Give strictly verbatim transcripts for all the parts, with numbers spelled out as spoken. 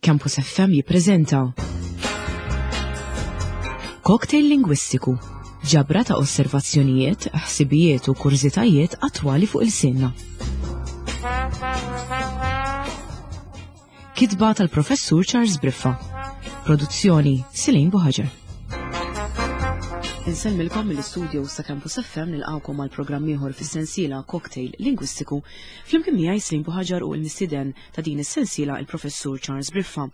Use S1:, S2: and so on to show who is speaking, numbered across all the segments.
S1: Campus F M jippreżenta Cocktail Lingwistiku, ġabra ta' osservazzjonijiet, ħsibijiet u kurżitajiet attwali fuq il-sinna. Kitba tal-Professur Charles Briffa. Produzzjoni Silin Buħaġar. Insellmilkom mill-istudio sa' Campus F M, nilqawkom għal programm ieħor fis-sensiela Cocktail Lingwistiku, flimkien miegħi Silin Buħaġar u l-mistieden ta' din is-sensiela il-Professur Charles Briffa.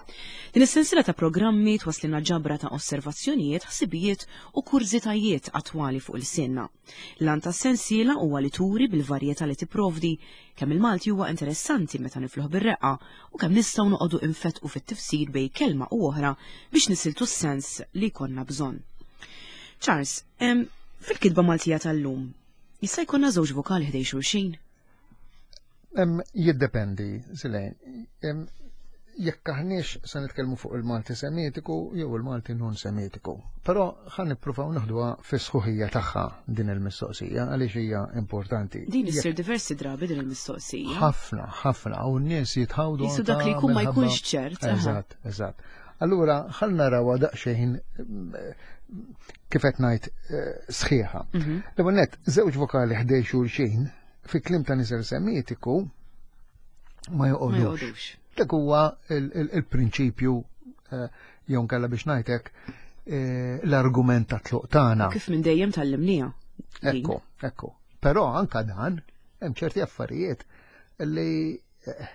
S1: Din is-sensiela ta' programmi twaslilna ġabra ta' osservazzjonijiet, ħsibijiet u kurżitajiet attwali fuq il-sinna. L-għan tas-sensiela huwa li turi bil-varjetà li tipprovdi kemm il-Malti huwa interessanti meta nifluh bir-reqqa u kemm nistgħu noqogħdu infetqu fit-tifsir bejn kelma u oħra biex nisiltu s-sens li jkollna bżonn. Charles, em, fil-kitba Maltija tal-lum, jista' jkollna żewġ vokali ħdej xulxin?
S2: Em, jiddependi, Silejn. Em, jekk aħniex se nitkellmu fuq il-Malti Semitiku jew il-Malti non Semitiku. Però ħa nippruvaw naħduha fis-sħuħija tagħha din il-mistoqsija għaliex hija importanti.
S1: Din issir diversi drabi din il-mistoqsija.
S2: Ħafna, ħafna, u n-nies jitħawdu
S1: Jisu dak li
S2: anka
S1: jkun ma
S2: minħabba
S1: jkunx ċert, aha.
S2: Eżatt, eżatt. Allura ħa narawha daqsxejn kif qed ngħid, eh, sħiħa.
S1: Mhm.
S2: L-ewwel nett, żewġ vokali ħdej xulxin fi kliem ta' nisel Semitiku ma joqogħdux.
S1: Ma joqogħdux.
S2: Dak huwa il-, il-, il-prinċipju, eh, jew nkella biex ngħidlek, eh, l-argument ta' tluq tagħna.
S1: Kif minn dejjem tallimniha.
S2: Ekku, ekku. Però anka dan hemm ċerti affarijiet li, eh,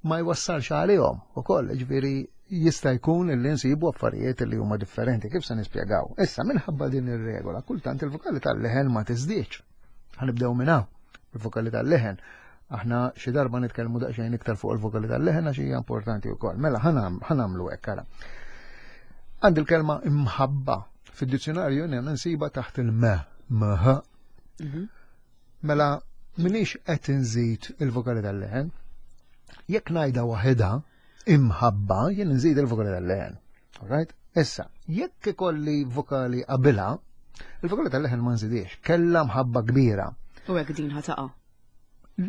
S2: ma jwassalx għalihom ukoll, ġifieri jista' jkun li nsibu affarijiet li huma differenti, kif se nispjegaw. Issa minħabba din ir-regola, kultant il-vokali tal-leħen ma tiżdiedx. Ħanibdew minn hawn, il-vokali tal-leħen. Aħna xi darba nitkellmu daqsxejn iktar fuq il-vokali tal-leħen għax hija importanti wkoll. Mela ħanam-, ħanamlu hekk ara. Għandi l-kelma imħabba fid-dizzjonarju hemm insiba taħt il-me, mh.
S1: Mhm.
S2: Mela minix qed inżid il-vokali tal-leħen. Jekk ngħidha waħedha imħabba, jien nżid il-vokali tal-leħen. All right? Issa, jekk ikolli vokali qabilha, il-vokali tal-leħen ma nżidiex, kellha mħabba kbira.
S1: U hekk din ħataqa'.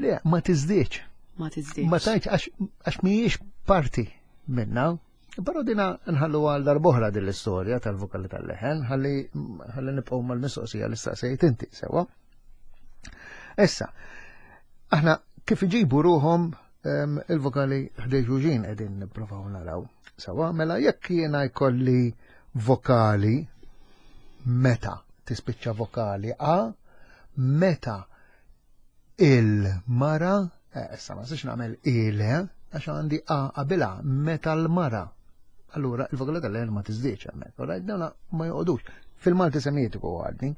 S2: Le, ma tiżdiedx.
S1: Ma tiżdiedx.
S2: Ma tgħidx għax, għax mhijiex parti minna. Però dina nħallu għal darb'oħra din l-istorja tal-vokali tal-leħen, ħalli, ħalli nibqgħu mal-mistoqsija li staqsejt inti, sewwa. Issa, aħna kif iġibu ruhom, em, il-vokali ħdej xulxin qegħdin nippruvaw naraw. Sewwa, mela jekk jiena jkolli vokali meta tispiċċa vokali A, meta il-mara, eh, issa ma nistax nagħmel ile għax għandi A qabilha, meta l-mara. Allura il-vokali tal-leħen ma tiżdiedx hemmhekk, all right? Dawna ma joqogħdux. Fil-Malti Semitiku għadni.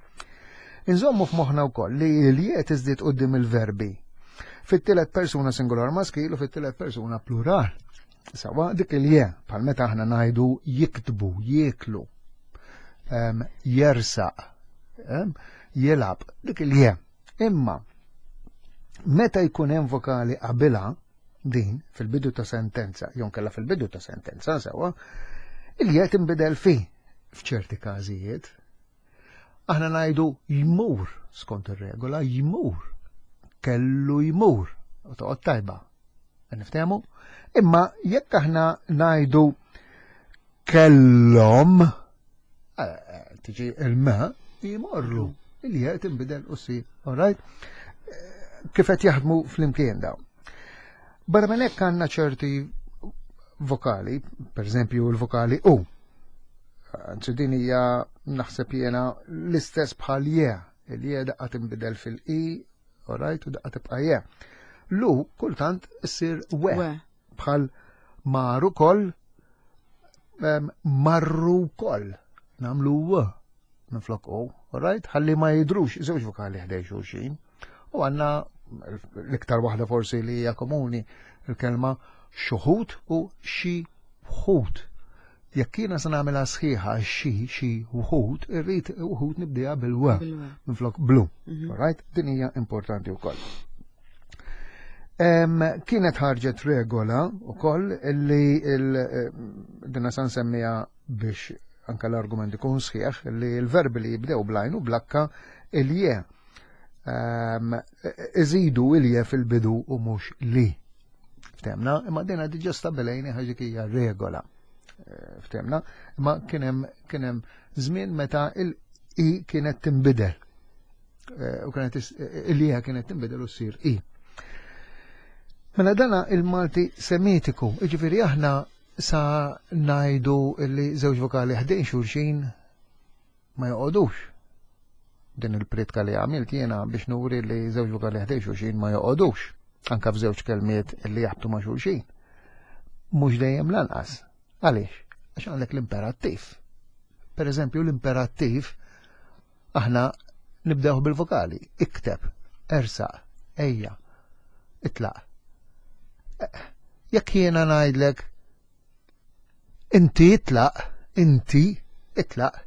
S2: Inżommu f'moħħna wkoll li l-je tiżdied quddiem il-verbi. Fit-tielet persuna singular maskil u fit-tielet persuna plural. Sawa dik il-je, bħal meta aħna ngħidu jiktbu, jieklu, em, jersaq, em, jilgħab, dik il-je. Imma meta jkun hemm vokali qabilha din fil-bidu ta' sentenza, jew nkella fil-bidu ta' sentenza sewwa, il-je tinbidel fi f'ċerti każijiet. Aħna ngħidu jmur skont ir-regola, jmur, kellu jmur, u toqgħod tajba. Niftehmu? Imma jekk aħna ngħidu kellhom, eh, tiġi il-ma, jmorru, il-je tinbidel u si, all right? Kif qed jaħdmu flimkien dawn. Barra minn hekk għandna ċerti vokali, per eżempju l-vokali U. Anzi din hija naħseb jiena l-istess bħal je, il-je daqqa tinbidel fil-i, all right, u daqqa tibqa' je. Lu kultant issir we,
S1: We.
S2: bħal maru koll, em, marru koll, namlu w minflok u, all right, ħalli ma jidrux żewġ vokali ħdej xulxin. U għandna l-iktar waħda forsi li hija komuni il-kelma xuħut u xi wħud. Jekk jiena se nagħmilha sħiħa xi xi wħud, irrid wħud nibdejha bil-w
S1: Bil-w.
S2: minflok blu.
S1: Mhm.
S2: All right? Din hija importanti wkoll. Em, kienet ħarġet regola wkoll illi il-, dinna sa nsemmiha biex anka l-argument ikun sħiħ, li l-verbi li jibdew blajn u blakka il-je. Em, iżidu il-je fil-bidu u mhux li. Ftemna, imma dina diġà stabilejni ħaġa hija regola. Eh, ftemna, imma kien hemm kien hemm żmien meta il-i kienet tinbidel. Eh, u kienet il-ija kienet tinbidel u ssir i. Mela dana il-Malti Semitiku, jiġifieri aħna sa ngħidu li żewġ vokali ħdejn xulxin ma joqogħdux. Din il-pritka li għamilt jiena biex nuri li żewġ vokali ħdejn xulxin ma joqogħdux, anka f'żewġ kelmiet li jaħbtu ma' xulxin. Mhux dejjem lanqas. Għaliex? Għax għandek l-imperattiv. Per eżempju, l-imperattiv aħna nibdew bil-vokali. Ikteb, ersaq, ejja, itlaq. Jekk jiena ngħidlek inti itlaq, inti itlaq,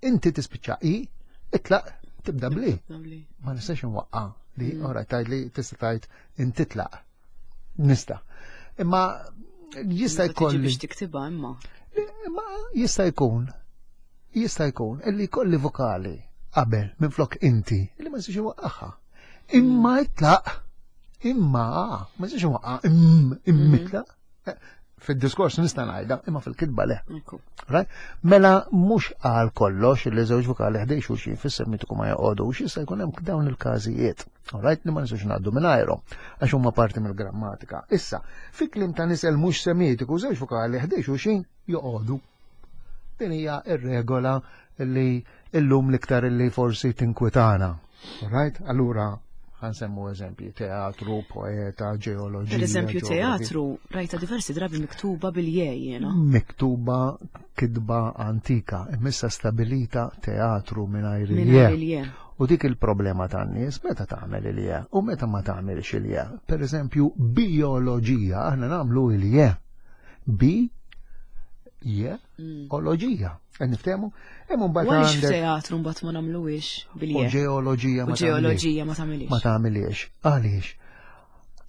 S2: inti tispiċċa i, itlaq tibda bli. Ma nistax nwaqqa li mm. ora tgħid li tista' tgħid inti tlaq. Nista'. Imma jista' jkun
S1: biex tiktibha imma.
S2: Imma jista' jkun jista' jkun illi jkolli vokali qabel minflok inti illi ma nistax inwaqqaha. Imma itlaq, imma ma nistax inwaqqa im im itlaq. Fid-diskors nista' ngħidha, imma fil-kitba le. Right? Mela mhux għal kollox li żewġ vokali ħdejn xulxin fis-Semitiku ma joqogħdux, jista' jkun hemm dawn il-każijiet. Right? Li ma nistgħux ngħaddu mingħajrhom għax huma parti mill-grammatika. Issa, fi kliem ta' nisel mhux Semitiku żewġ vokali ħdejn xulxin joqogħdu. Din hija r-regola li illum l-iktar li forsi tinkwitana. Right? Allura ħansemmu eżempji, teatru, poeta, ġeoloġija.
S1: Per eżempju, teatru, rajta diversi drabi miktuba bil-je jiena.
S2: Miktuba kitba antika, imissa stabilita teatru mingħajr il-je. U dik il-problema tan-nies meta tagħmel il-je u meta ma tagħmilx il-je. Per eżempju, bioloġija, aħna nagħmlu il-je. Bi je oloġija. Niftehmu?
S1: Hemm mbagħad għandek. F'teatru mbagħad ma nagħmluhiex bil-je.
S2: U ġeoloġija ma
S1: ġeoloġija ma tagħmilix.
S2: Ma tagħmilix. Għaliex?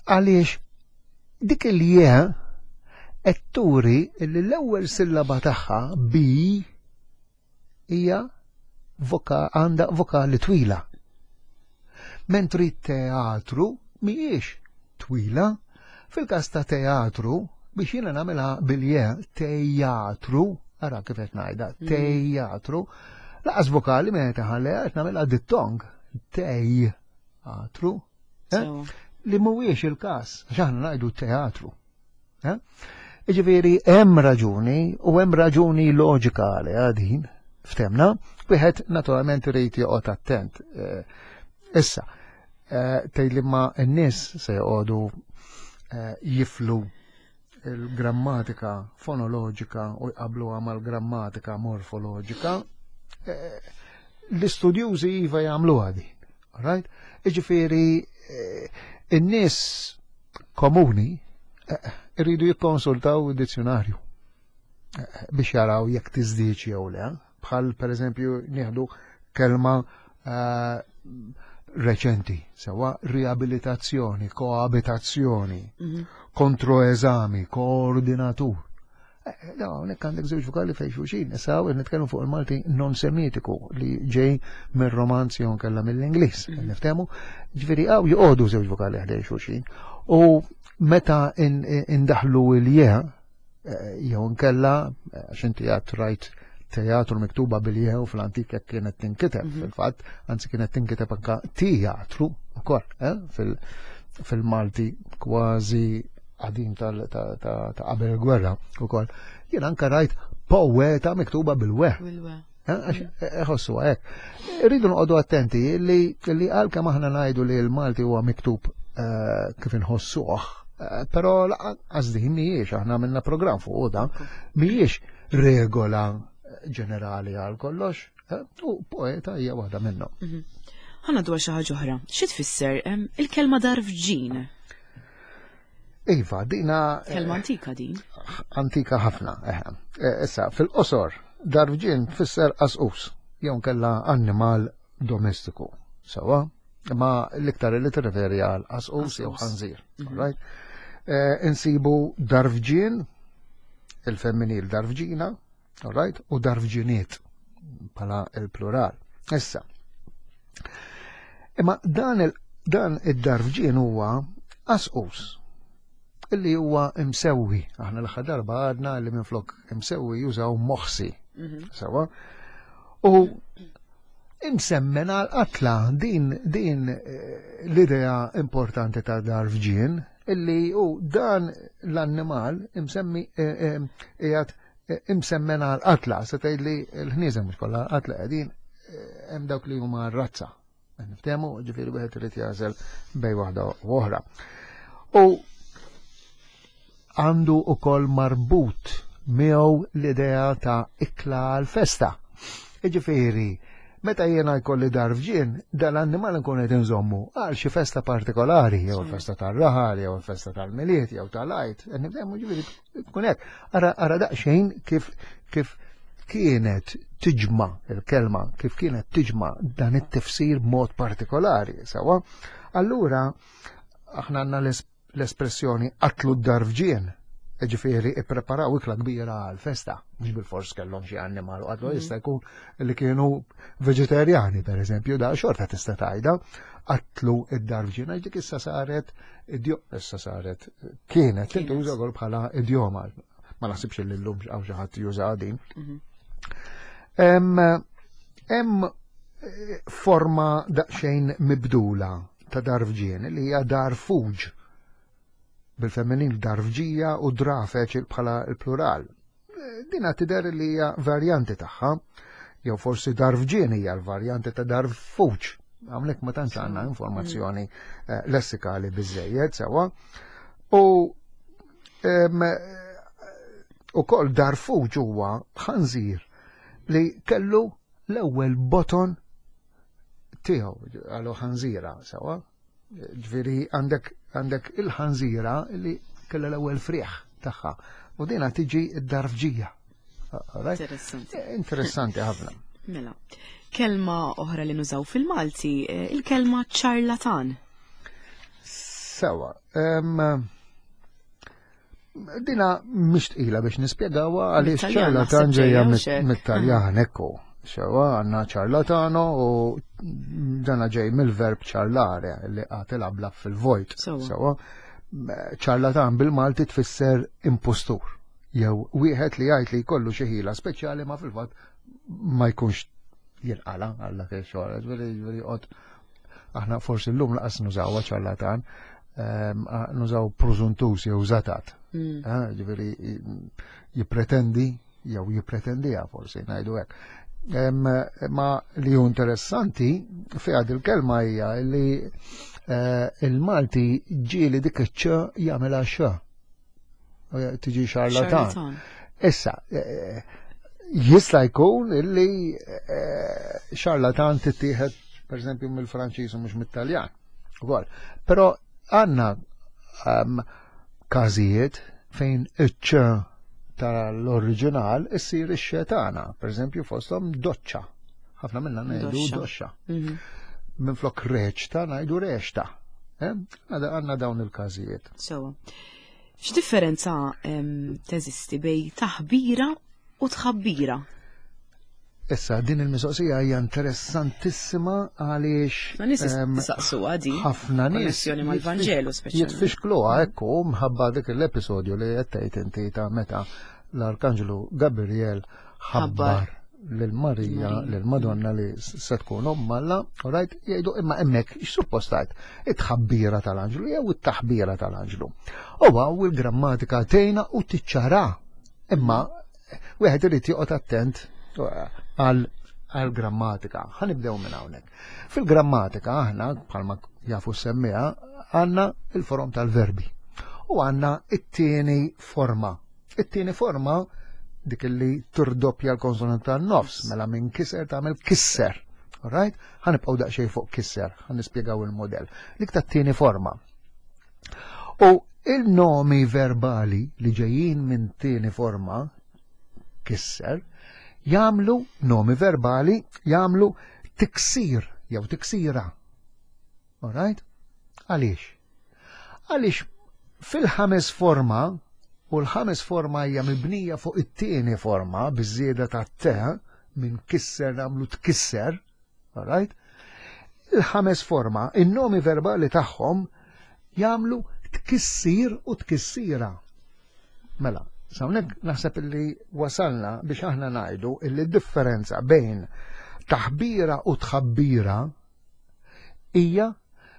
S2: Għaliex dik il-je qed turi li l-ewwel sillaba tagħha bi hija voka għandha vokali twila. Mentri teatru mhijiex twila. Fil-każ ta' teatru biex jiena nagħmilha bil-je teatru, ara kif qed ngħidha, teatru, laqas vokali meta ħalleha qed nagħmilha dittong, teatru, li mhuwiex il-każ, għax aħna ngħidu teatru. Jiġifieri hemm raġuni u hemm raġuni loġika għaliha din, ftemna, wieħed naturalment irid joqgħod attent. Issa, tgħid li ma n-nies se joqogħdu jiflu il-grammatika fonoloġika u jqabluha mal-grammatika morfoloġika, l-istudjużi iva jagħmluha din. Right? Jiġifieri in-nies komuni iridu jikkonsultaw id-dizzjonarju biex jaraw jekk tiżdiedx jew le. Bħal pereżempju nieħdu kelma reċenti, sewa riabilitazzjoni, koabitazzjoni, kontroeżami, koordinatur. No, hawnhekk għandek żewġ vokali fejn xulxin, issa hawn nitkellmu fuq il-Malti non Semitiku li ġej mir-Romanzi jew nkella mill-Ingliż, niftehmu. Ġifieri hawn joqogħdu żewġ vokali ħdejn xulxin. U meta indaħlu il-je jew nkella għax inti għad rajt teatru miktuba bil-je u fl-antik jekk kienet tinkiteb fil-fatt, anzi kienet tinkiteb anka teatru ukoll, fil-Malti kważi qadim ta' qabel il-gwerra ukoll. Jien anka rajt poeta miktuba bil-we. Ħossu hekk. Irridu noqogħdu attenti li għalkemm aħna ngħidu li l-Malti huwa miktub kif inħossuh, però lanqas din mhijiex, aħna għamilna programm fuq da, mhijiex regola ġenerali għal kollox, u poeta hija waħda minnhom.
S1: Ħana dwar xi ħaġa oħra. Xi tfisser il-kelma darfġin?
S2: Iva, dina
S1: kelma antika din.
S2: Antika ħafna, eħe. Issa, fil-qosor, darfġin tfisser qasqus, jew nkella annimal domestiku. Sawa, ma l-iktar li tirreferi għal qasqus jew ħanżir. Right? Insibu darfġin, il-femminil darfġina, right? U darfġiniet bħala il-plural. Issa, imma dan il dan id-darfġin huwa qasqus Illi huwa imsewwi. Aħna l-aħħar darba għadna li minflok imsewwi jużaw moħsi.
S1: Mhm.
S2: Sewa. U imsemmen għal qatla din din eh, l-idea importanti ta' darfġien illi u dan l-annimal imsemmi eh, eh, qiegħed imsemmen għal qatla se tgħid li l-ħnieżem mhux kollha qatla qegħdin hemm dawk li huma razza. Niftehmu, ġifieri wieħed irid jagħżel bejn waħda u oħra. U għandu ukoll marbut miegħu l-idea ta' ikla għal-festa. Ġifieri, meta jiena jkolli darfġien, dal-annimal nkun qed inżommu għal xi festa partikolari, jew il-festa tar-raħal, jew il-festa tal-Milied, jew tal-Għid. Nifhemu ġifieri tkun hekk. Ara ara daqsxejn kif kif kienet tiġma il-kelma, kif kienet tiġma dan it-tifsir b'mod partikolari, sewa. Allura aħna għandna l-espressjoni qatlu d-darfġien, ġifieri ippreparaw ikla kbira għal-festa, mhux bil-fors kellhom xi annimal u qatlu, jista' jkun li kienu veġetarjani pereżempju, da xorta tista' tgħidha, qatlu id-darfġien għax dik issa saret issa saret kienet tintuża wkoll bħala idjoma. Ma naħsibx li llum hawn xi ħadd juża din. Hemm forma daqsxejn mibdula ta' darfġien li hija darfuġ, bil-femminil darfġija u drafeċ bħala l-plural. Dina tidher li hija varjanti tagħha, jew forsi darfġien hija l-varjanti ta' darfuġ. Hawnhekk ma tantx għandna informazzjoni lessikali biżejjed sewwa. U ukoll darfuġ huwa ħanżir li kellu l-ewwel boton tiegħu għalu ħanżira sewwa. Ġifieri għandek għandek il-ħanżira li kellha l-ewwel frieħ tagħha u dina tiġi d-darfġija.
S1: Interessanti.
S2: Interessanti ħafna.
S1: Mela, kelma oħra li nużaw fil-Malti, il-kelma ċarlatan.
S2: Sewa, dina mhix tqila biex nispjegawha għaliex ċarlatan ġejja mit-Taljan, ekku. Sewa, għandna ċarlatano u dana ġej mill-verb ċarlare li qatil abla fil-vojt. Sewa, ċarlatan bil-Malti tfisser impostur. Jew wieħed li jgħid li jkollu xi ħila speċjali ma fil-fatt ma jkunx jinqala għal dak ix-xogħol. Ġifieri qod aħna forsi llum laqas nużawha ċarlatan, nużaw prużuntus jew żatat. Ġifieri jippretendi jew jippretendiha forsi ngħidu hekk. Ma li hu interessanti fiha il-kelma hija li il-Malti ġieli dik iċ-ċ jagħmilha x. Tiġi xarlatan. Issa, jista' jkun illi xarlatan tittieħed pereżempju mill-Franċiż u mhux mit-Taljan. Ukoll. Però għandna każijiet fejn iċ-ċ tal-oriġinal issir ix-xetana, pereżempju fosthom doċċa. Ħafna minna ngħidu doxxa. Minflok reċta ngħidu rexta. Għandna dawn il-każijiet.
S1: Sewa. X'differenza teżisti bejn taħbira u tħabbira?
S2: Issa, din il-mistoqsija hija interessantissima għaliex
S1: Ma nies jistaqsuha din.
S2: Ħafna nies
S1: Konnessjoni mal-Vanġelu speċjalment.
S2: Jitfixkluha ekku mħabba dik l-episodju li qed tgħid inti ta' meta l-Arkanġlu Gabriel ħabbar lil Marija, lil Madonna li se tkun omm Alla, right, jgħidu imma hemmhekk x'suppost tgħid? It-tħabbira tal-anġlu jew it-taħbira tal-anġlu. U hawn il-grammatika tgħinna u tiċċara. Imma wieħed irid joqgħod attent għal grammatika. Ħanibdew minn hawnhekk. Fil-grammatika aħna bħalma jafu semmiha għandna il-forom tal-verbi u għandna it-tieni forma. It-tieni forma dik li turdoppja l-konsonant tan-nofs, mela minn kisser tagħmel kisser. Alright? Ħanibqgħu daqsxejn fuq kisser, ħan nispjegaw il-modell. Dik tat-tieni forma. U il-nomi verbali li ġejjin minn tieni forma kisser jagħmlu nomi verbali jagħmlu tiksir jew tiksira. Alright? Għaliex? Għaliex fil-ħames forma, u l-ħames forma hija mibnija fuq it-tieni forma biż-żieda ta' te minn kisser nagħmlu tkisser, alright? Il-ħames forma, in-nomi verbali tagħhom jagħmlu Tkissir u tkissira. Mela, s'hawnhekk naħseb illi wasalna biex aħna ngħidu illi differenza bejn taħbira u tħabbira hija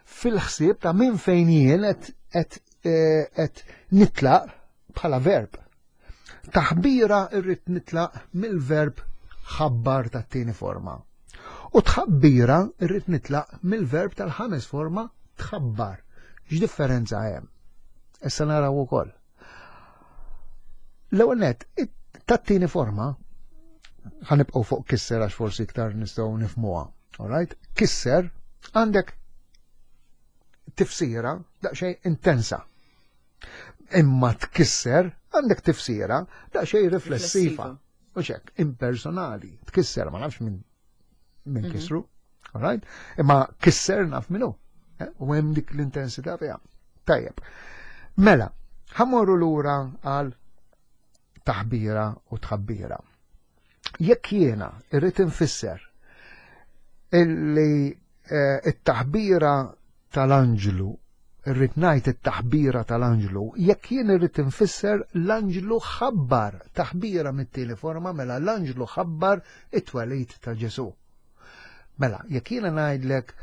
S2: fil-ħsieb ta' minn fejn jien qed qed nitlaq bħala verb. Taħbira irrid nitlaq mill-verb ħabbar tat-tieni forma. U tħabbira irrid nitlaq mill-verb tal-ħames forma tħabbar. X'differenza hemm? Issa naraw ukoll. L-ewwel nett, tat-tieni forma ħa nibqgħu fuq kisser għax forsi iktar nistgħu nifhmuha. Alright? Kisser għandek tifsira daqsxejn intensa. Imma tkisser għandek tifsira daqsxejn riflessiva. U hekk, impersonali. Tkisser ma nafx minn min mhm. kisru. Alright? Imma kisser naf minnu. Eh? U hemm dik l-intensità fiha. Tajjeb. Mela, ħa mmorru lura għal taħbira u tħabbira. Jekk jiena irrid infisser illi eh, it-taħbira tal-anġlu, irrid ngħid it-taħbira tal-anġlu, jekk jien irrid infisser l-anġlu ħabbar taħbira mit-tieni forma, mela l-anġlu ħabbar it-twelid ta' Ġesu. Mela, jekk jiena ngħidlek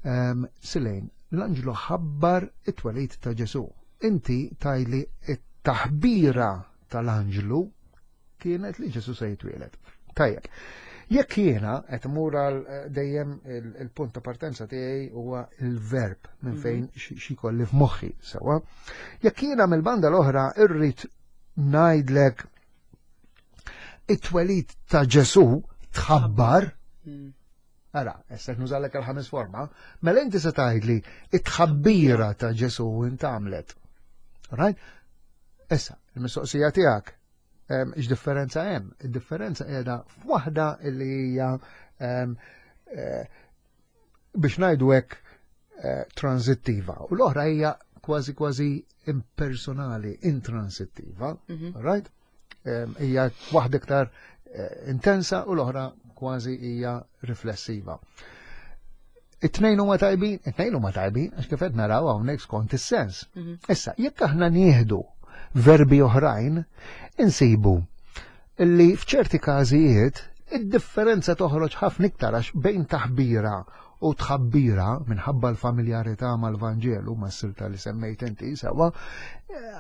S2: um, Silejn, l-anġlu ħabbar it-twelid ta' Ġesu. Inti tgħidli it-taħbira tal-anġlu kienet li Ġesu se jitwieled. Tajjeb. Jekk jiena qed imur għal eh, dejjem il-punt ta' partenza tiegħi huwa il-verb minn mhm. fejn xi kolli f'moħħi sewwa. Jekk jiena mill-banda l-oħra irrid ngħidlek it-twelid ta' Ġesu tħabbar, mm. Ara, issa nużalek il-ħames forma, mela inti se tgħidli it-tħabbira ta' Ġesu intamlet. Right? Issa, il-mistoqsija tiegħek x'differenza hemm? Id-differenza qiegħda f'waħda li hija eh, biex ngħidu hekk eh, transittiva u l-oħra hija kważi kważi impersonali, intransittiva, mhm. right? Hija waħda iktar eh, intensa u l-oħra kważi hija riflessiva. It-tnejn huma tajbin, it-tnejn huma tajbin, għax kif qed naraw hawnhekk skont is-sens. Mhm. Issa, jekk aħna nieħdu verbi oħrajn, insibu li f'ċerti każijiet id-differenza toħroġ ħafna iktar għax bejn taħbira u tħabbira minħabba l-familjarità mal-Vanġelu mas-silta li semmejt inti sewwa,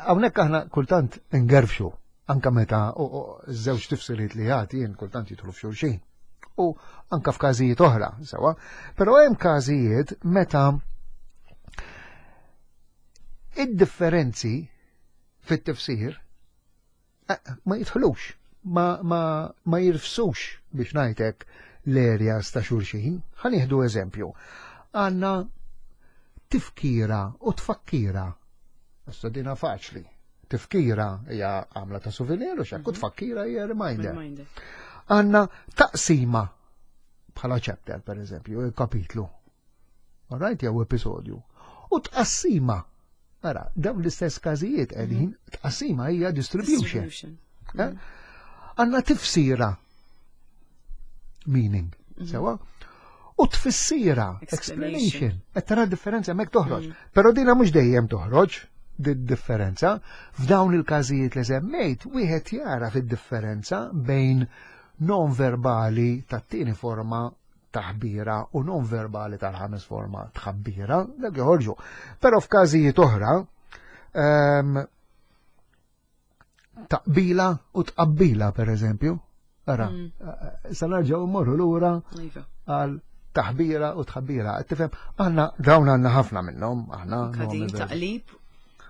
S2: hawnhekk aħna kultant ingerfxu anka meta żewġ tifsiriet li jagħti jien kultant jidħlu f'xulxin. U anka f'każijiet oħra, sewwa. Però hemm każijiet meta id-differenzi fit-tifsir eh, ma jidħlux, ma, ma, ma jirfsux biex ngħidlek l-areas ta' xulxin. Ħa nieħdu eżempju. Għandna tifkira u tfakkira. Issa dina faċli. Tifkira hija għamla ta' souvenir u xekk u mhm. tfakkira hija reminder. Għandna taqsima bħala chapter, per eżempju, kapitlu. Alright, jew episodju. U tqassima. Ara, dawn l-istess każijiet qegħdin, mhm. tqassima hija distribution. Eh? Mhm. Għandna tifsira meaning, mhm. sewwa? U tfissira, explanation. Qed tara differenza hemmhekk toħroġ. Però dina mhux dejjem toħroġ di differenza. F'dawn il-każijiet li semmejt, wieħed jara fid-differenza bejn non verbali tat-tieni forma taħbira u non verbali tal-ħames forma tħabbira, dak joħorġu. Però f'każijiet oħra, um, taqbila u tqabbila per eżempju. Ara, mm. sa nerġgħu mmorru lura iva. għal taħbira u tħabbira. Tifhem, aħna dawn għandna ħafna minnhom, aħna.
S1: Taqlib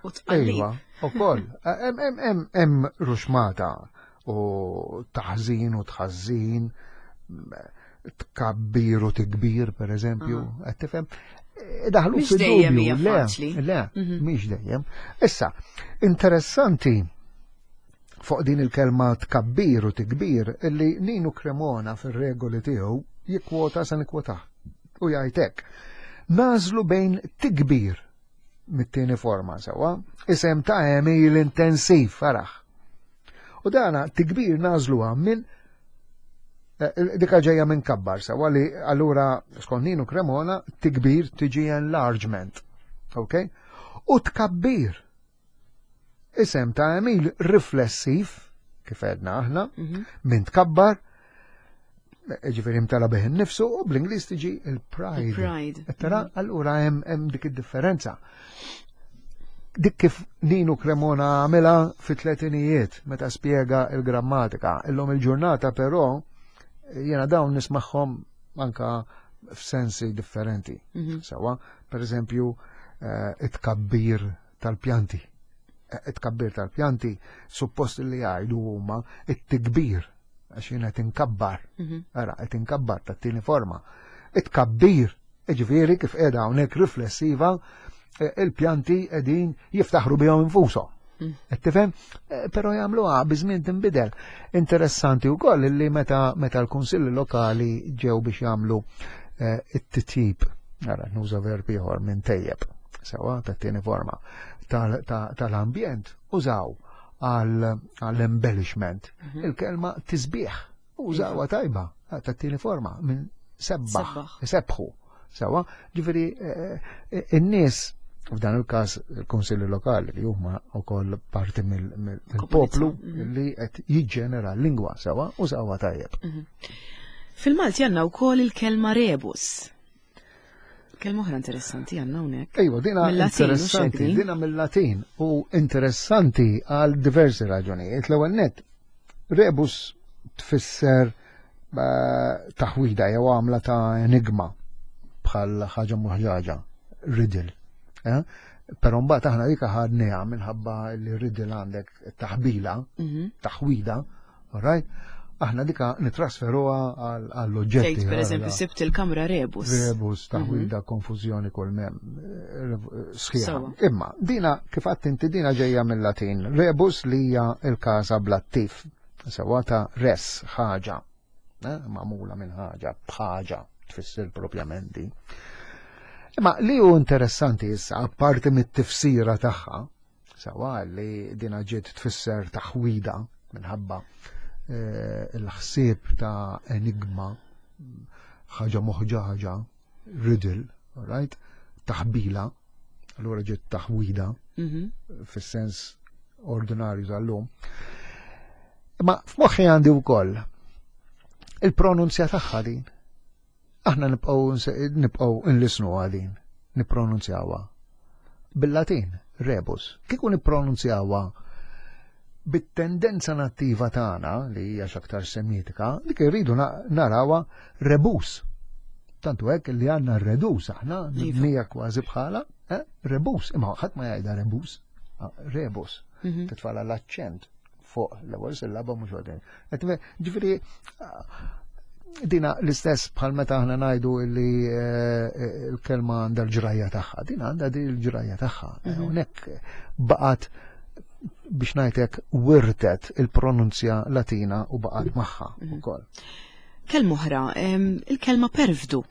S1: u tqallib.
S2: Iva, ukoll. Hemm hemm ruxmata u taħżin u tħażin, tkabbir u tikbir, per eżempju, qed tifhem? Daħlu
S1: fid-dubju.
S2: Le, le, mhm. mhix dejjem. Issa, interessanti fuq din il-kelma tkabbir u tikbir illi Ninu Cremona fir-regoli tiegħu jikkwota sa nikkwotah u jgħidlek. Nagħżlu bejn tikbir mit-tieni forma sewwa, isem ta' għemil intensiv faraħ. U dana tikbir nagħżluha minn eh, dika ġejja minn kabbar sewwa li allura skont Ninu Cremona tikbir tiġi enlargement. Ok? U tkabbir. Isem ta' għemil riflessiv, kif għedna aħna,
S1: Mhm.
S2: minn tkabbar, ġifieri mtala bih innifsu, u bl-Ingliż tiġi il-pride.
S1: Il-pride.
S2: Tara, allura hemm hemm dik id-differenza. Dik kif Ninu Cremona għamilha fit-tletinijiet meta spjega il-grammatika. Illum il-ġurnata però jiena dawn nismagħhom anka f'sensi differenti.
S1: Mhm.
S2: Sawa, per eżempju, eh, it-kabbir tal-pjanti. Eh, It-kabbir tal-pjanti suppost li jgħidu huma it-tikbir għax jiena qed inkabbar.
S1: Mhm.
S2: Ara, qed inkabbar tat-tieni forma. It-kabbir, ġifieri kif qiegħda hawnhekk riflessiva, eh, il-pjanti qegħdin jiftaħru bihom infushom.
S1: Mm.
S2: Qed tifhem? Eh, Però jagħmluha biż-żmien tinbidel. Interessanti wkoll li meta meta l-kunsilli lokali ġew biex jagħmlu eh, it-titjib, ara nuża verb ieħor minn tejjeb, sewa tat-tieni forma tal- ta- tal-ambjent użaw għall-embellishment
S1: Mhm.
S2: il-kelma tisbieħ użawha tajba tat-tieni forma minn sebbaħ,
S1: Sebbaħ.
S2: sebħu. Sewa, ġifieri eh, eh, in-nies f'dan il-każ il-kunsilli lokali li huma wkoll parti mill- mill- mill-poplu
S1: Mhm.
S2: li qed jiġġenera l-lingwa sewa użawha tajjeb.
S1: Mhm. Fil-Malti għandna wkoll il-kelma rebus. Kelma oħra interessanti għandna hawnhekk.
S2: Ejwa, dina
S1: Mill-Latin, mhux
S2: interessanti,
S1: hekk din?
S2: dina mill-Latin u interessanti għal diversi raġunijiet. L-ewwel net, rebus tfisser eh, taħwida jew għamla ta' enigma bħal ħaġa muħġaġa, riddle. Eh? Però mbagħad aħna dik ħadniha minħabba li riddle għandek taħbila,
S1: Mhm.
S2: taħwida, all right? Aħna dika nitrasferuha għall- għall-oġġetti.
S1: Tgħid pereżempju
S2: għal-
S1: sibt il-kamra rebus.
S2: Rebus, taħwida, konfużjoni kull mem, sħiħa.
S1: Sewa.
S2: Imma, dina, kif għedt inti dina ġejja mill-Latin. Rebus li hija il-każa bl-attiv. Sewa ta' res, ħaġa. Eh, Magħmula minn ħaġa, bħaġa, tfisser propjament din. Imma li hu interessanti issa, apparti mit-tifsira tagħha, sewa li dina ġiet tfisser taħwida minħabba eh, il-ħsieb ta' enigma, ħaġa moħġaġa, riddle, all right? Taħbila, allura ġiet taħwida
S1: Mhm.
S2: fis-sens ordinarju tal-lum. Ma f'moħħi għandi wkoll il-pronunzja tagħha din. Aħna nibqgħu nse- nibqgħu nlisnu din, nippronunzjawha. Bil-Latin, rebus. Kieku nippronunzjawha bit-tendenza nattiva tagħna li hija x'aktar semitika, dik irridu na- narawha rebus. Tantu hekk li għandna redus aħna,
S1: Iva.
S2: mibnija kważi bħala, eh? Rebus, imma ħadd ma jgħidha rebus, ah, rebus.
S1: Mhm.
S2: Titfala l-aċċent fuq l-ewwel sillaba mhux għodin. Ġifieri ah, dina l-istess bħal meta aħna ngħidu li eh, il-kelma għandha l-ġrajja tagħha, dina għandha din il-ġrajja tagħha. Hawnhekk baqgħet biex ngħidlek wirtet il-pronunzja Latina u baqgħet magħha ukoll.
S1: Kelma oħra, em, il-kelma perfdu.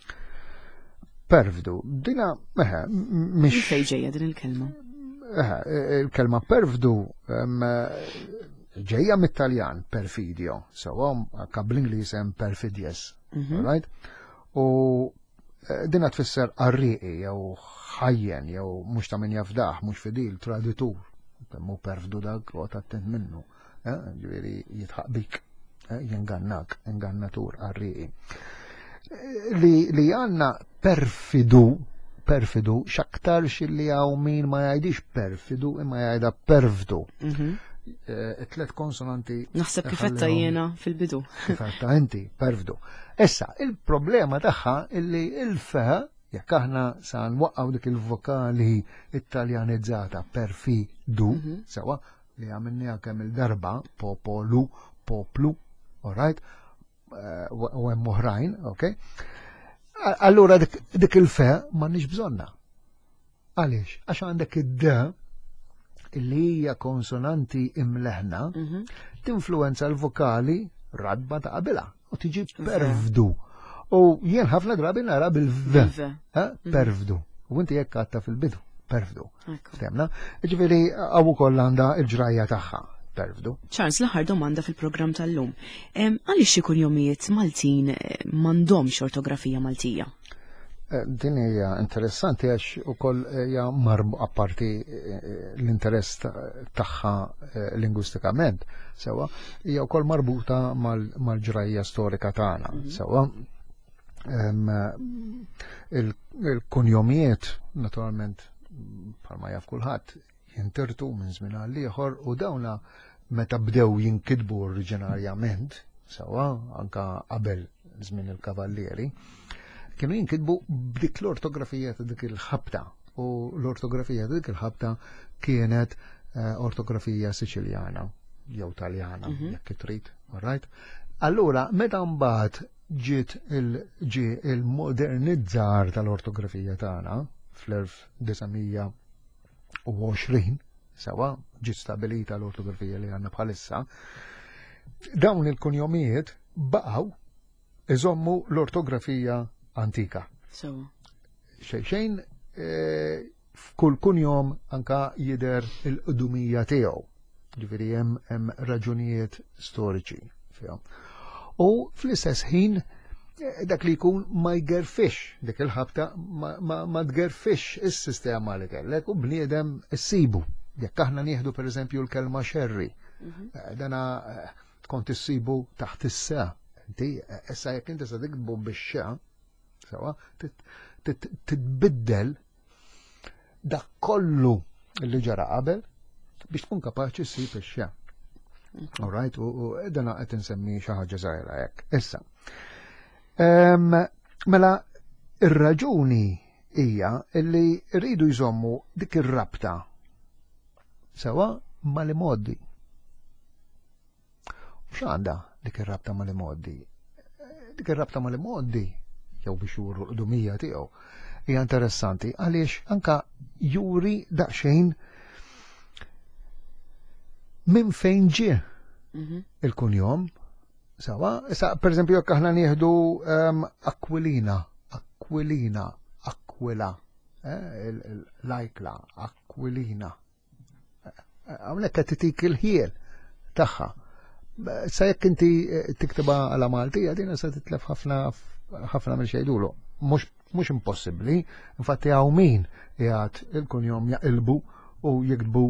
S2: Perfdu, dina eħe,
S1: Minn
S2: mhix
S1: fejn ġejja din il-kelma?
S2: Eħe, il-kelma perfdu em, ġejja mit-Taljan perfidio, sewa anka bl-Ingliż hemm perfidious,
S1: Mhm.
S2: right? U eh, dina tfisser qarrieqi jew ħajjen jew mhux ta' min jafdaħ, mhux fidil, traditur. Kemmu perfdu dak u attent minnu. eh, Ġifieri jidħaq bik, eh, jingannak, ingannatur qarrieqi. Eh, Li, li għandna perfidu, perfidu, x'aktarx li hawn min ma jgħidix perfidu imma jgħidha perfdu.
S1: Mhm.
S2: Eh, Tlet konsonanti
S1: Naħseb kif għedtha
S2: ħallihom-
S1: jiena fil-bidu.
S2: kif għedtha inti, perfdu. Issa, il-problema tagħha illi il-fe, jekk aħna sa nwaqqaw dik il-vokali italjanizzata perfidu,
S1: Mhm.
S2: sewa, li għamilniha kemm il-darba, popolu, poplu, all right, Eh, u u hemm oħrajn, ok? A- Allura dik dik il-fe m'għandniex bżonna. Għaliex? Għax għandek id-d illi hija konsonanti imleħna,
S1: Mhm.
S2: tinfluenza l-vokali radba ta' qabilha u tiġi perfdu. U jien ħafna drabi nara bil-v,
S1: Bil-V.
S2: eh, perfdu. U inti jekk għedtha fil-bidu, perfdu.
S1: Ekku.
S2: Ftemna? Ġifieri hawn ukoll għandha il-ġrajja tagħha, perfdu.
S1: Charles, l-aħħar domanda fil-programm tal-lum. Em, Għaliex xi kunjomijiet Maltin eh, m'għandhomx ortografija Maltija?
S2: Eh, din hija interessanti għax ukoll hija marbu apparti eh, l-interess tagħha eh, lingwistikament, sewwa, hija wkoll marbuta mal-ġrajja storika tagħna, mhm. sewwa. Il-kunjomijiet, naturalment, bħalma jaf kulħadd, jintirtu minn żmien għal ieħor u dawna meta bdew jinkitbu oriġinarjament, sewwa, anka qabel żmien il-kavallieri, kienu jinkitbu b'dik l-ortografija ta' dik il-ħabta u l-ortografija ta' dik il-ħabta kienet eh, ortografija Siċiljana jew Taljana, mhm. jekk trid, all right? Allura, meta mbagħad ġiet il-ġi il-modernizzar tal-ortografija tagħna fl-elf disa' mija u għoxrin, sewwa, ġiet stabilita l-ortografija li għandna bħalissa, dawn il-kunjomijiet baqgħu iżommu l-ortografija antika.
S1: So.
S2: Xejn xejn eh, f'kull kunjom anka jider il-qdumija tiegħu. Ġifieri hemm hemm raġunijiet storiċi fihom. U fl-istess ħin eh, dak li jkun ma jgerfix dik il-ħabta ma, ma, ma tgerfix is-sistema li kellek u bniedem issibu. Jekk aħna nieħdu pereżempju l-kelma xerri, mhm. eh, dana kont issibu taħt is-sa. Inti issa jekk inti se tiktbu bix-xa, sewwa, titbiddel dak kollu li ġara qabel biex tkun kapaċi ssib ix-xa. All right, u dana qed insemmi xi ħaġa żgħira hekk. Issa. Mela ir-raġuni hija li rridu jżommu dik ir-rabta sewwa mal-imgħoddi. U x'għandha dik ir-rabta mal-imgħoddi? Dik ir-rabta mal-imgħoddi jew biex juru l-qdumija tiegħu hija interessanti għaliex anka juri daqsxejn minn fejn ġie mhm. il-kunjom. Sewwa, issa per eżempju jekk aħna nieħdu um, Aquilina, Aquilina, Aquila, eh, l-ajkla, Aquilina. Hawnhekk qed titik il-ħiel tagħha. Sa jekk inti eh, tiktibha għala Maltija, din se titlef ħafna ħafna minn xejdulu. Mhux impossibbli, infatti hawn min jgħat il-kunjom jaqilbu u jiktbu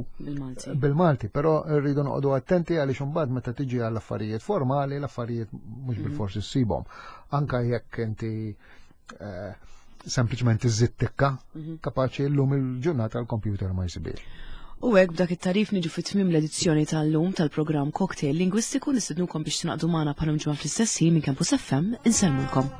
S2: bil-Malti, però rridu noqogħdu attenti għaliex imbagħad meta tiġi għall affarijiet formali, l-affarijiet mhux mhm. bil-forsi ssibhom. Anka jekk inti eh, sempliċement iżid tikka, mhm. kapaċi llum il-ġurnata l-computer ma jsibix.
S1: U hekk b'dak it-tarif niġu fit tmim l-edizzjoni tal-lum tal-programm Cocktail Lingwistiku. Nistednukom biex tingħaqdu magħna bħal ġimgħa fl-istess ħin minn Campus F M. Insellmulkom.